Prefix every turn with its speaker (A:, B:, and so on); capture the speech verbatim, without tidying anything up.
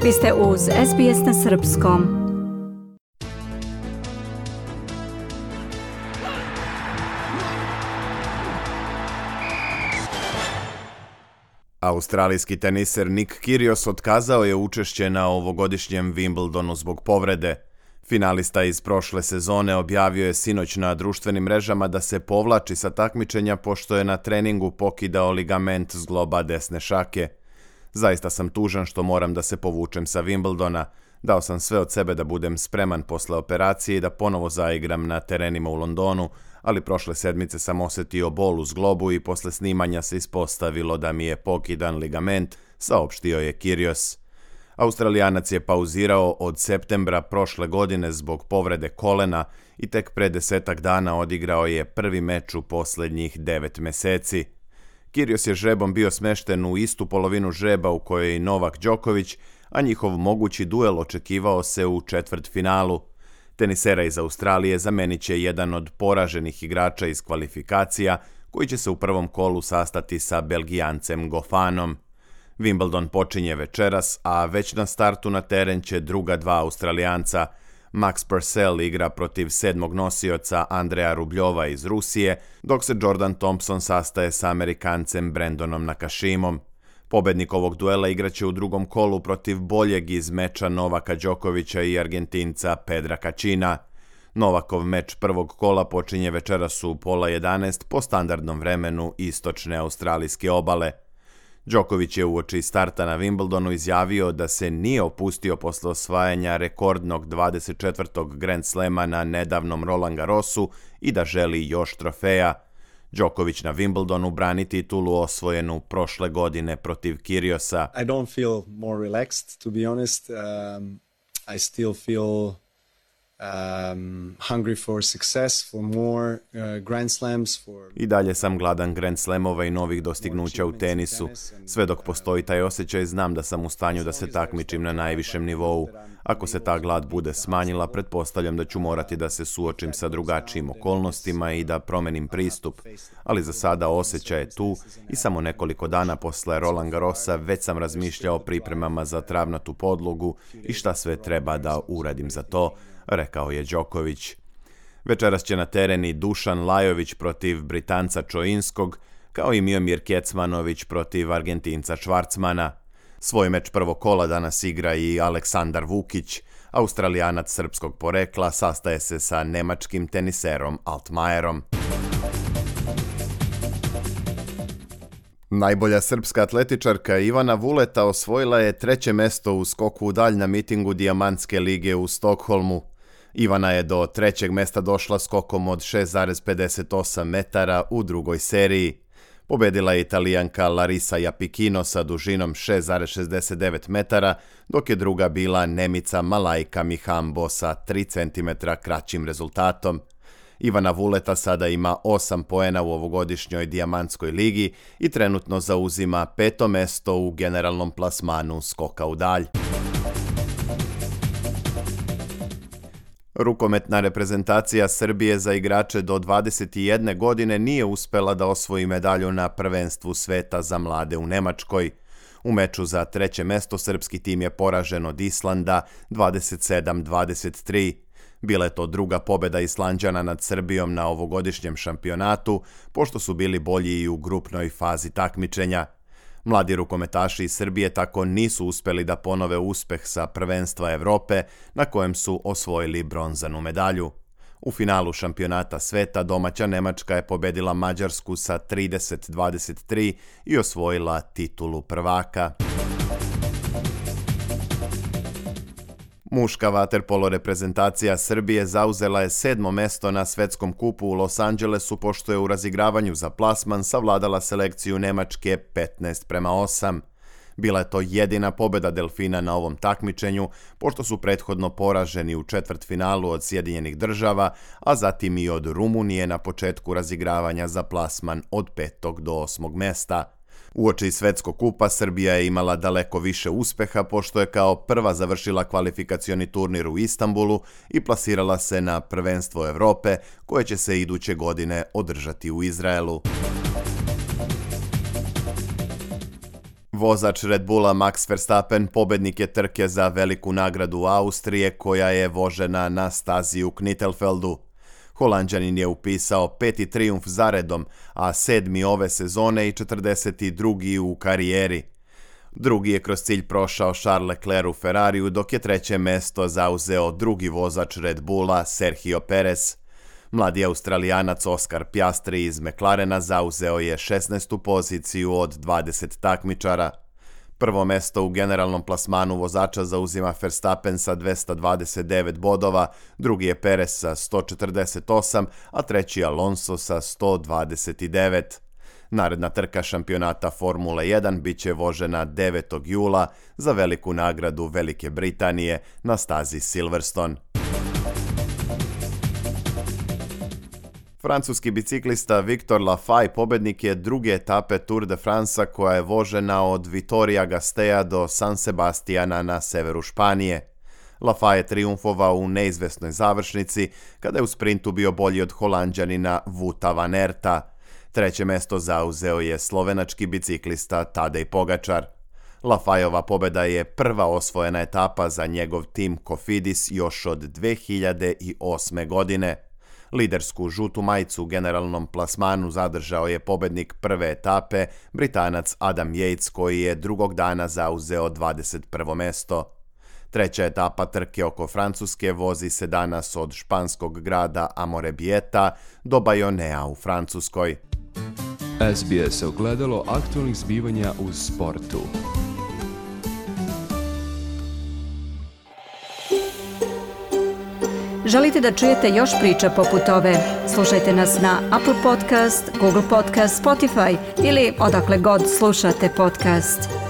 A: Vi ste uz S B S na srpskom.
B: Australijski teniser Nick Kyrgios otkazao je učešće na ovogodišnjem Wimbledonu zbog povrede. Finalista iz prošle sezone objavio je sinoć na društvenim mrežama da se povlači sa takmičenja pošto je na treningu pokidao ligament zgloba desne šake. Zaista sam tužan što moram da se povučem sa Wimbledona. Dao sam sve od sebe da budem spreman posle operacije i da ponovo zaigram na terenima u Londonu, ali prošle sedmice sam osjetio bol u zglobu i posle snimanja se ispostavilo da mi je pokidan ligament, saopštio je Kyrgios. Australijanac je pauzirao od septembra prošle godine zbog povrede kolena i tek pre desetak dana odigrao je prvi meč u posljednjih devet meseci. Kyrgios je žrebom bio smešten u istu polovinu žreba u kojoj je i Novak Đoković, a njihov mogući duel očekivao se u četvrtfinalu. Tenisera iz Australije zamenit će jedan od poraženih igrača iz kvalifikacija koji će se u prvom kolu sastati sa Belgijancem Gofanom. Wimbledon počinje večeras, a već na startu na teren će druga dva Australijanca. Max Purcell igra protiv sedmog nosioca Andreja Rubljova iz Rusije, dok se Jordan Thompson sastaje sa Amerikancem Brandonom Nakashimom. Pobednik ovog duela igraće u drugom kolu protiv boljeg iz meča Novaka Đokovića i Argentinca Pedra Kacina. Novakov meč prvog kola počinje večeras u pola jedanaest po standardnom vremenu istočne australijske obale. Đoković je uoči starta na Wimbledonu izjavio da se nije opustio posle osvajanja rekordnog dvadeset četvrtog Grand Slema na nedavnom Roland Garrosu i da želi još trofeja. Đoković na Wimbledonu brani titulu osvojenu prošle godine protiv Kyrgiosa.
C: I don't feel more relaxed, to be honest. Um, I still feel um, hungry for success, for more uh, Grand Slams. For...
B: I dalje sam gladan Grand Slamova i novih dostignuća u tenisu. Sve dok postoji taj osjećaj, znam da sam u stanju da se takmičim na najvišem nivou. Ako se ta glad bude smanjila, pretpostavljam da ću morati da se suočim sa drugačijim okolnostima i da promenim pristup. Ali za sada osjećaj je tu i samo nekoliko dana posle Roland Garrosa već sam razmišljao o pripremama za travnatu podlogu i šta sve treba da uradim za to, rekao je Đoković. Večeras će na teren i Dušan Lajović protiv Britanca Čoinskog, kao i Miomir Kecmanović protiv Argentinca Švarcmana. Svoj meč prvog kola danas igra i Aleksandar Vukić, Australijanac srpskog porekla, sastaje se sa nemačkim teniserom Altmajerom. Najbolja srpska atletičarka Ivana Vuleta osvojila je treće mesto u skoku u dalj na mitingu Dijamantske lige u Stokholmu. Ivana je do trećeg mesta došla skokom od šest zarez pedeset osam metara u drugoj seriji. Pobedila je Italijanka Larisa Japikino sa dužinom šest zarez šezdeset devet metara, dok je druga bila Nemica Malajka Mihambo sa tri centimetra kraćim rezultatom. Ivana Vuleta sada ima osam poena u ovogodišnjoj Dijamantskoj ligi i trenutno zauzima peto mesto u generalnom plasmanu skoka u dalj. Rukometna reprezentacija Srbije za igrače do dvadeset jedne godine nije uspela da osvoji medalju na prvenstvu sveta za mlade u Nemačkoj. U meču za treće mesto srpski tim je poražen od Islanda dvadeset sedam dvadeset tri. Bila je to druga pobeda Islanđana nad Srbijom na ovogodišnjem šampionatu, pošto su bili bolji i u grupnoj fazi takmičenja. Mladi rukometaši iz Srbije tako nisu uspeli da ponove uspeh sa prvenstva Evrope, na kojem su osvojili bronzanu medalju. U finalu šampionata sveta domaća Nemačka je pobedila Mađarsku sa trideset dvadeset tri i osvojila titulu prvaka. Muška vaterpolo reprezentacija Srbije zauzela je sedmo mesto na svetskom kupu u Los Angelesu, pošto je u razigravanju za plasman savladala selekciju Nemačke petnaest prema osam. Bila je to jedina pobeda Delfina na ovom takmičenju, pošto su prethodno poraženi u četvrtfinalu od Sjedinjenih Država, a zatim i od Rumunije na početku razigravanja za plasman od petog do osmog mesta. Uoči svetskog kupa Srbija je imala daleko više uspeha, pošto je kao prva završila kvalifikacioni turnir u Istanbulu i plasirala se na prvenstvo Evrope, koje će se iduće godine održati u Izraelu. Vozač Red Bulla Max Verstappen pobednik je trke za veliku nagradu Austrije koja je vožena na stazi u Knittelfeldu. Holanđanin je upisao peti trijumf zaredom, a sedmi ove sezone i četrdeset drugi u karijeri. Drugi je kroz cilj prošao Charles Leclerc u Ferrariju, dok je treće mesto zauzeo drugi vozač Red Bulla Sergio Perez. Mladi Australijanac Oscar Piastri iz McLarena zauzeo je šesnaestu poziciju od dvadeset takmičara. Prvo mesto u generalnom plasmanu vozača zauzima Verstappen sa dvesta dvadeset devet bodova, drugi je Perez sa sto četrdeset osam, a treći Alonso sa sto dvadeset devet. Naredna trka šampionata Formule jedan bit će vožena devetog jula za veliku nagradu Velike Britanije na stazi Silverstone. Francuski biciklista Victor Lafay pobednik je druge etape Tour de France koja je vožena od Vitoria-Gasteja do San Sebastiana na severu Španije. Lafay je trijumfovao u neizvesnoj završnici kada je u sprintu bio bolji od Holanđanina Wouta van Aerta. Treće mesto zauzeo je slovenački biciklista Tadej Pogačar. Lafayova pobjeda je prva osvojena etapa za njegov tim Cofidis još od dve hiljade osme. godine. Lidersku žutu majicu u generalnom plasmanu zadržao je pobednik prve etape, Britanac Adam Yates, koji je drugog dana zauzeo dvadeset prvo mesto. Treća etapa trke oko Francuske vozi se danas od španskog grada Amorebieta do Bayonnea u Francuskoj.
D: S B S ogledalo aktualnih zbivanja u sportu.
A: Želite da čujete još priča poput ove? Slušajte nas na Apple Podcast, Google Podcast, Spotify ili odakle god slušate podcast.